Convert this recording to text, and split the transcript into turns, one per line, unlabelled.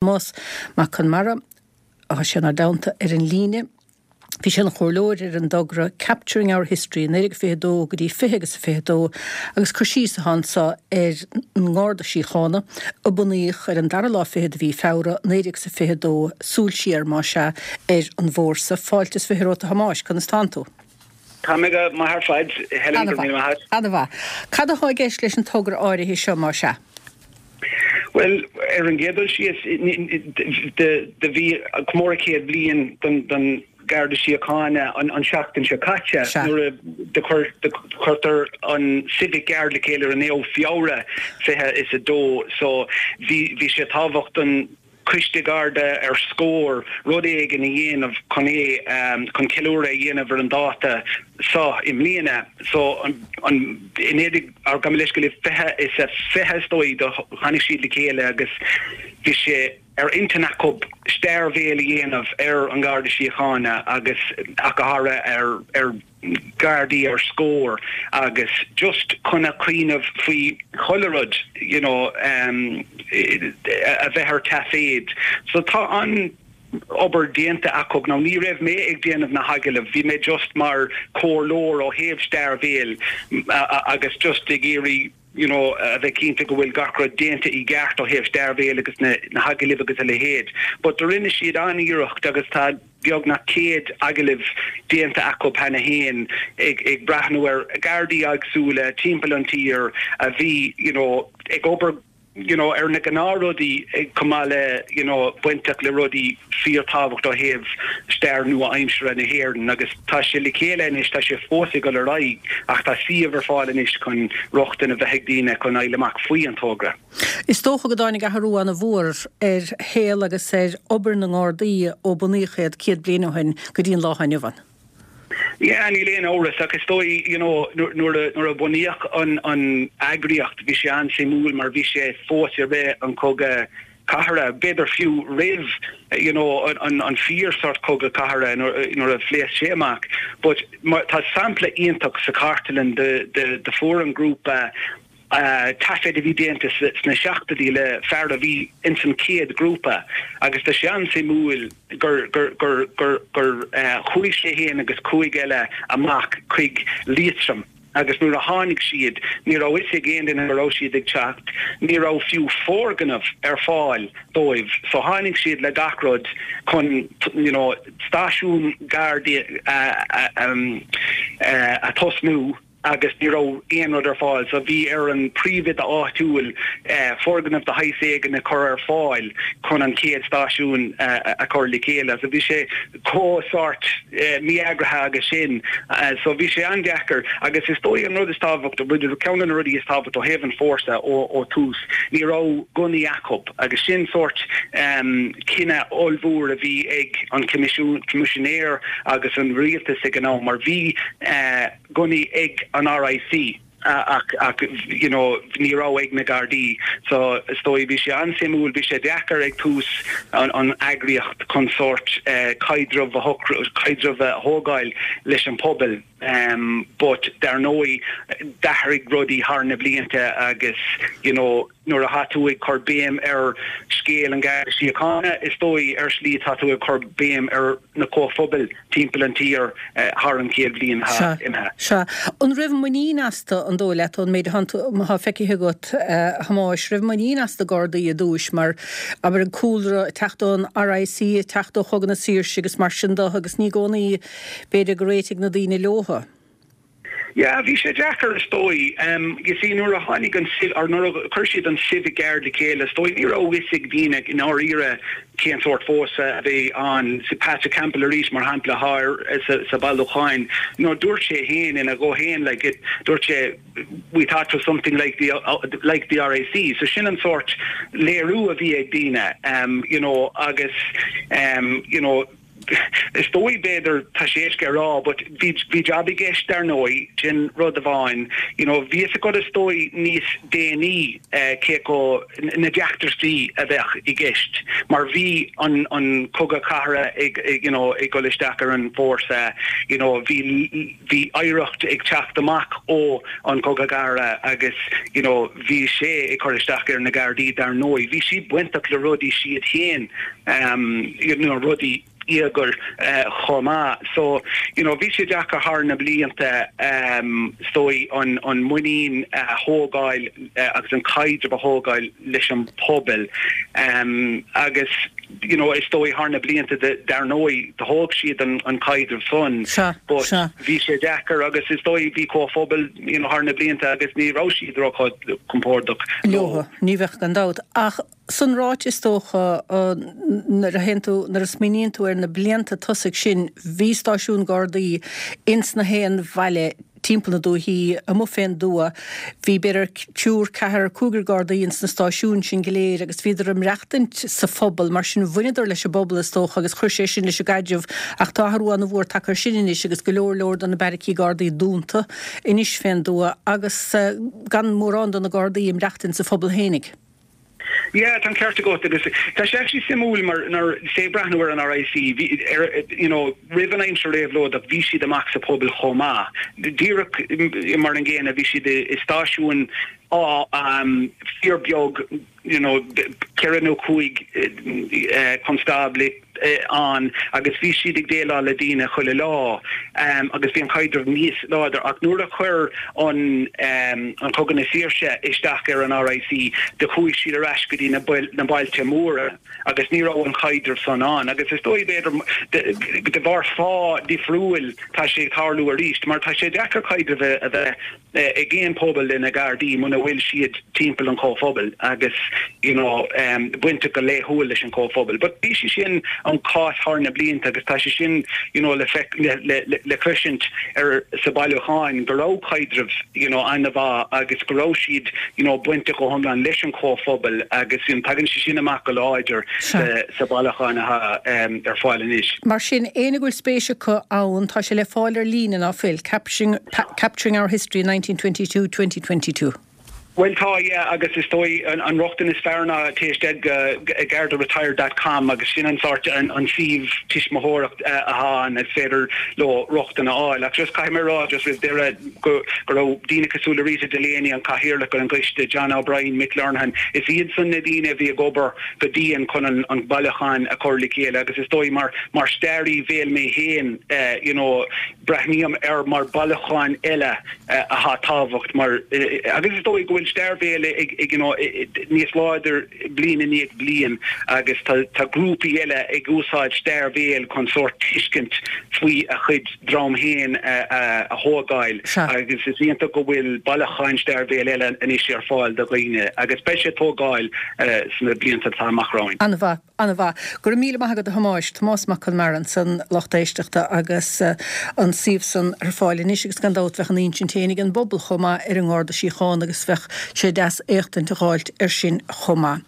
Tomás Mac Conmara, tá sé inár dteannta ar an líne. Bhí sé ina chomhairleoir ar an dtogra Capturing Our History, 1922 go dtí 20 agus a 22, agus cur síos atá anso ar an nGarda Síochána, a bunaíodh ar an dara lá fichead de mhí Feabhra, 1922, súil siar, más ea, ar an bhfórsa. Fáilte is 20 romhat a Thomáis, conas tánn tú?
Tá mé go maith ar fad, Helen, go raibh míle maith agat.
Ana-mhaith. Cad atá i gceist leis an togra áirithe seo, más ea?
Bhuel, ar an gcéad dul síos, do bhí comóradh 100 bliain don Gharda Síochána an seachtain seo caite nuair a do chuirtear an Civic Guard le chéile ar an 9ú Feabhra 22 so bhí sé tábhacht don Coiste Garda ar scór rud éigin a dhéanamh chun é, chun ceiliúradh a dhéanamh ar an dáta so i mbliana. So an, i 19, ar gabh mo leithscéal, 20 is a 20 is dóigh do tháinig siad le chéile agus bhí sé ar intinn acu stair bhéil a dhéanamh ar an Gharda Síochána agus ach go háirithe ar, ar. Gardaí ar scór agus just chun a cuimhneamh faoi chuile rud you know a bheith ar taiféad. So tá an obair déanta acu. Now ní raibh mé ag déanamh na hagallaimh, bhí mé just mar comhairleoir ó thaobh stair bhéil agus just ag iarraidh you know, a bheith cinnte go bhfuil gach rud déanta i gceart ó thaobh stair bhéil agus na na hagallaimh agus a leithéid. But do rinne siad an-iarracht agus tá beagnach 100 agallamh déanta acu cheana féin ag ag breathnú ar Ghardaí éagsúla timpeall an tír a bhí, you know, ag obair you know, ar na gnáthrudaí chomh maith le, you know, bainteach le rudaí fíorthábhacht ó thaobh stair nua-aimseartha na hÉireann agus tá sé le chéile anois, tá sé fós ag dul ar aghaidh ach tá suíomh ar fáil anois chun rochtain a bheith ag daoine chun fháil amach faoi an togra.
Is dócha go dtáinig athrú an-mhór ar shaol agus ar obair na nGardaí ó bunaíodh iad 100 bliain ó shin go dtí an lá atá inniu ann.
Yeah, níl aon amhras ach is dóigh, you know, nuair a, nuair a bunaíodh an, an eagraíocht bhí sé an-suimiúil mar bhí sé fós i rith an chogadh cathartha, b'fhéidir fiú roimh, you know, an, an fíor sort cogadh cathartha nuair, nuair a phléasc sé amach. But mar, tá sampla iontach sa chartlann de, de, de fuair an grúpa taifead a bhí déanta sna seachtóidí le fear a bhí ins an chéad ghrúpa agus tá sé an-suimiúil gur gur gur gur gur chuaigh sé fhéin agus chúig eile amach chuig Liatroim agus nuair a tháinig siad ní raibh fhios ag aon duine go raibh siad ag teacht, ní raibh fiú foirgneamh ar fáil dóibh so tháinig siad le gach rud chun you know stáisiún Gardaí a a tosnú. agus ní raibh aon rud ar fáil so bhí ar an príomhoide áitiúil foirgneamh de shaghas éigin a chur ar fáil chun an chéad stáisiún a chur le chéile. So bhí sé chomh sórt mí-eagraithe agus sin. So bhí sé an-deacair agus is dóigh an rud is tábhacht, ceann de na rudaí is tábhacht ó thaobh an fórsa ó tús, ní raibh gunnaí acu agus sin sórt cinneadh ollmhór a bhí ag an Coimisinéir agus an rialtas ag an am mar bhí gunnaí ag an RIC ach ach you know ní raibh ag na Gardaí so is dóigh bhí sé an-suimiúil, bhí sé deacair ag tús an an eagraíocht chun sórt caidreamh a shocrú, caidreamh a thógáil leis an pobal but dar ndóigh d'athraigh rudaí thar na blianta agus you know nuair atá tú ag cur béim ar scéal an Gharda Síochána is dóigh ar shlí tá tú ag cur béim ar na comhphobail timpeall an tír thar an chéad bhliain atá imithe.
Sea. An raibh muinín astu, an dóigh leat, ón méid atá feicthe agat, a Thomáis, raibh muinín as na Gardaí i dtús mar, abair, an cúlra ag teacht ón RIC, ag teacht ó Chogadh na Saoirse agus mar sin de agus ní i gcónaí, b'fhéidir, gur réitigh na daoine leothu.
Yeah, bhí sé deacair is dóigh. You see nuair a tháinig an or nuair a chuir siad an Civic Guard le chéile is dóigh ní raibh fhios ag daoine i ndáiríre cén sórt fórsa a bhí ann. See Patrick Campbell arís mar shampla atá ar sa sa bailiúcháin you know dúirt sé féin ina ghuth féin like it dúirt sé we thought it was something like the like the RIC. So sin an sórt léiriú a bhí ag daoine you know agus you know. is dóigh b'fhéidir tá sé éasca a rá but bhí bhí jab i gceist dar ndóigh sin rud amháin you know bhí fhios agat is dóigh níos déanaí cé chomh na deacrachtaí a bheadh i gceist mar bhí an an cogadh cathartha ag you know ag dul isteach ar an bhfórsa you know bhí bhí oidhreacht ag teacht amach ó an cogadh cathartha agus you know bhí sé ag cur isteach ar na Gardaí dar ndóigh bhí siad bainteach le rudaí siad féin you know rudaí íogair chomh maith. So, you know, bhí sé deacair thar na blianta is dóigh an an muinín a thógáil agus an caidreamh a thógáil leis an pobal agus you know, is dóigh thar na blianta dar ndóigh do thóg siad an an caidreamh san but bhí sé deacair agus is dóigh bhí comhphobal you know, thar na blianta agus ní raibh siad ró-chompordach
leo. Ní bheadh gan dabht ach San ráite is dócha, nuair a théann tú, nuair a smaoiníonn tú ar na blianta tosaigh sin, bhí stáisiún Gardaí ins na haon bhaile timpeall na dúichí, amuigh fén dtuath, bhí b'fhéidir triúr, ceathrar, cúigear Gardaí ins na stáisiúin sin go léir agus bhíodar ag maireachtaint sa phobal, mar sin bhaineadar leis an bpobal is dócha agus chuir sé sin leis an gcaidreamh ach tá athrú ana-mhór tagtha ar sin anois agus go leor leor de na beairicí Gardaí dúnta anois fén dtuath agus gan mórán de na Gardaí ag maireachtaint sa phobal fhéinig.
Yeah, tá an ceart agat agus tá sé actually suimiúil mar nuair is ag breathnú ar an RIC, bhí ar you know roimh an aimsir réabhlóideach bhí siad amach sa pobal chomh maith. Díreach mar an gcéanna bhí siad i stáisiúin á fíor beag you know 4 nó 5 constábla ann agus bhí siad ag déileáil le daoine chuile lá agus bhí an caidreamh níos láidir ach nuair a chuir an an Cogadh na Saoirse isteach ar an RIC do chuaigh siad ar ais go dtí na na bailte móra agus ní raibh an caidreamh san ann agus is dóigh b'fhéidir de bharr fáth difriúil tá sé ag tarlú arís mar tá sé deacair caidreamh a bheith ag aon pobal le na Gardaí muna bhfuil siad timpeall an chomhphobail agus you know bainteach go laethúil leis an chomhphobal. But bhí sé sin an cás thar na blianta agus tá sé sin you know le feic le le le cloisint ar sa bailiúcháin go raibh caidreamh you know an-mhaith agus go raibh siad you know bainteach go hiomlán leis an chomhphobal agus you know tagann sé sin amach go láidir sa sa bailiúchán atá ar fáil anois.
Mar sin, éinne go bhfuil spéis acu ann, tá sé le fáil ar líne ná fuil? Capturing Capturing Our History 1922, 2022.
Bhuel tá, yeah, agus is dóigh an rochtain is fearr ná téigh isteach go gardaretired dot com agus sin an sórt, an suíomh tuismitheoireacht atá ann is féidir leo rochtain a fháil. Ach just caithfidh mé a rá just roimh deireadh go go raibh daoine cosúil le Rita Delaney, an cathaoirleach ar an gcoiste, John O'Brien, Mick Lernihan, is iadsan na daoine a bhí ag obair go dian chun an bailiúchán a chur le chéile agus is dóigh mar mar staraí béil mé féin you know, Breathnaím air mar bailiúchán eile atá tábhacht mar agus is dóigh go bhfuil stair bhéil ag you know níos láidir bliain i ndiaidh bliain agus tá tá grúpaí eile ag úsáid stair bhéil chun sórt tuiscint faoi a chuid dream féin a thógáil agus is iontach go bhfuil bailiúcháin stair bhéil eile anois ar fáil do dhaoine agus beidh sé ag tógáil sna blianta atá amach romhainn.
An-mhaith. An-mhaith. Go raibh míle maith agat a Thomáis. Tomás Mac Con Mara ansan, lucht éisteachta agus an suíomh san ar fáil anois agus gan dabht bheadh an insint féin ag an bpobal chomh maith ar an nGarda Síochána agus bheadh sé deas éachtaint a dh'fháilt ar sin chomh maith.